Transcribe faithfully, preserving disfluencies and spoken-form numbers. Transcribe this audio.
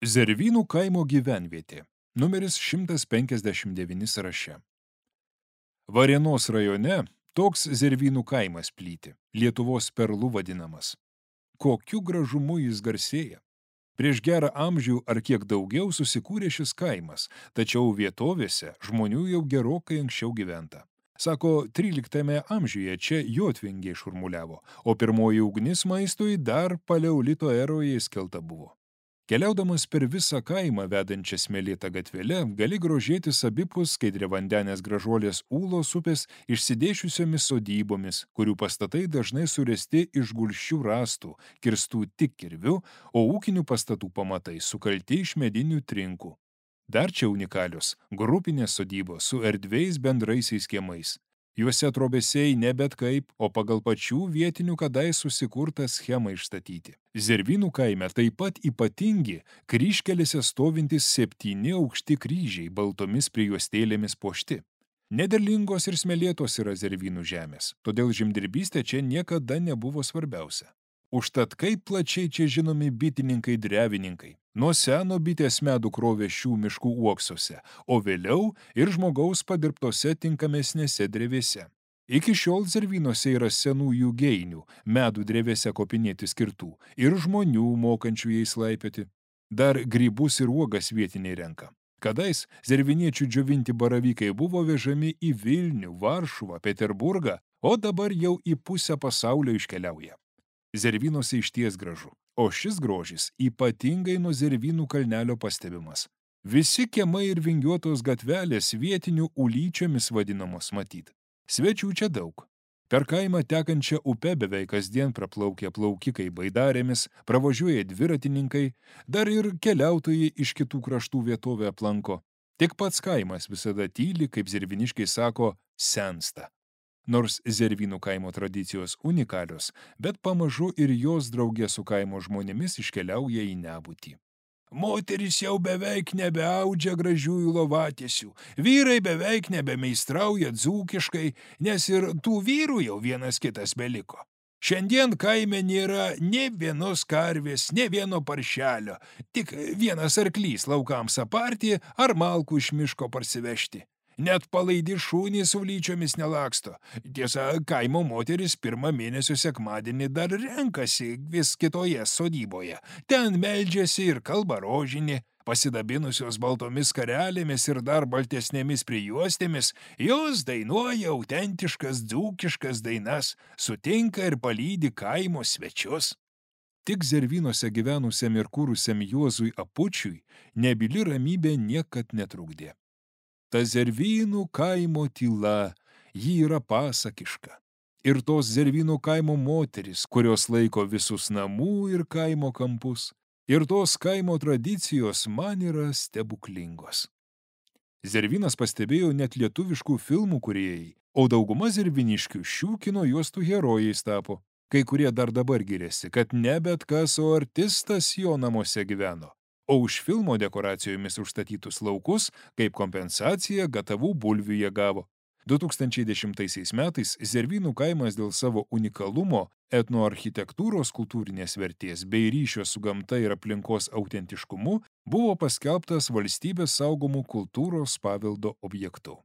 Zervynų kaimo gyvenvietė. Numeris šimtas penkiasdešimt devyni sąraše. Varėnos rajone toks Zervynų kaimas plyti, Lietuvos perlu vadinamas. Kokiu gražumu jis garsėja. Prieš gerą amžių ar kiek daugiau susikūrė šis kaimas, tačiau vietovėse žmonių jau gerokai anksčiau gyventa. Sako, tryliktame amžiuje čia jotvingiai šurmuliavo, o pirmoji ugnis maistui dar paleolito eroje įskelta buvo. Keliaudamas per visą kaimą vedančią smėlėtą gatvelę, gali grožėtis abipus skaidriavandenės gražuolės Ūlos upės išsidėšiusiomis sodybomis, kurių pastatai dažnai suresti iš gulsčių rąstų, kirstų tik kirviu, o ūkinių pastatų pamatai sukalti iš medinių trinkų. Dar čia unikalios grupinės sodybos su erdviais bendraisiais kiemais. Juose trobesiai ne bet kaip, o pagal pačių vietinių kadais susikurtą schemą išstatyti. Zervynų kaime taip pat ypatingi kryžkelėse stovintys septyni aukšti kryžiai baltomis prijuostėlėmis puošti. Nederlingos ir smėlėtos yra Zervynų žemės, todėl žemdirbystė čia niekada nebuvo svarbiausia. Užtat kaip plačiai čia žinomi bitininkai drevininkai. Nuo seno bitės medų krovė šių miškų uoksuose, o vėliau ir žmogaus padirbtose tinkamesnėse drevėse. Iki šiol Zervynuose yra senųjų geinių, medų drevėse kopinėti skirtų, ir žmonių mokančių jais laipioti. Dar grybus ir uogas vietiniai renka. Kadais zerviniečių džiovinti baravykai buvo vežami į Vilnių, Varšuvą, Peterburgą, o dabar jau į pusę pasaulio iškeliauja. Zervynuose išties gražu, o šis grožis ypatingai nuo Zervynų kalnelio pastebimas. Visi kiemai ir vingiuotos gatvelės vietinių ulyčiomis vadinamos matyt. Svečių čia daug. Per kaimą tekančią upę beveik kasdien praplaukia plaukikai baidarėmis, pravažiuoja dviratininkai, dar ir keliautojai iš kitų kraštų vietovę aplanko. Tik pats kaimas visada tyli, kaip zerviniškai sako, sensta. Nors Zervynų kaimo tradicijos unikalios, bet pamažu ir jos draugė su kaimo žmonėmis iškeliauja į nebūtį. Moteris jau beveik nebeaudžia gražiųjų lovatiesių, vyrai beveik nebemeistrauja dzūkiškai, nes ir tų vyrų jau vienas kitas beliko. Šiandien kaime nėra nė vienos karvės, nė vieno paršelio, tik vienas arklys laukams aparti ar malkų iš miško parsivežti. Net palaidi šūnys su vlyčiomis nelaksto. Tiesa, kaimo moteris pirmą mėnesio sekmadienį dar renkasi vis kitoje sodyboje. Ten meldžiasi ir kalba rožinį. Pasidabinusios baltomis karelėmis ir dar baltesnėmis prijuostėmis, jos dainuoja autentiškas dzūkiškas dainas, sutinka ir palydi kaimo svečius. Tik Zervynuose gyvenusiam ir kūrusiam Juozui Apučiui nebyli ramybė niekad netrukdė. Ta Zervynų kaimo tyla, ji yra pasakiška. Ir tos Zervynų kaimo moteris, kurios laiko visus namų ir kaimo kampus, ir tos kaimo tradicijos man yra stebuklingos. Zervynas pastebėjo net lietuviškų filmų kūrėjai, o dauguma zerviniškių šių kino juostų herojais tapo. Kai kurie dar dabar giriasi, kad ne bet kas, o artistas jo namuose gyveno. O už filmo dekoracijomis užstatytus laukus, kaip kompensaciją, gatavų bulvių jie gavo. du tūkstančiai dešimtaisiais metais Zervynų kaimas dėl savo unikalumo, etnoarchitektūros kultūrinės vertės bei ryšio su gamta ir aplinkos autentiškumu buvo paskelbtas valstybės saugomų kultūros paveldo objektu.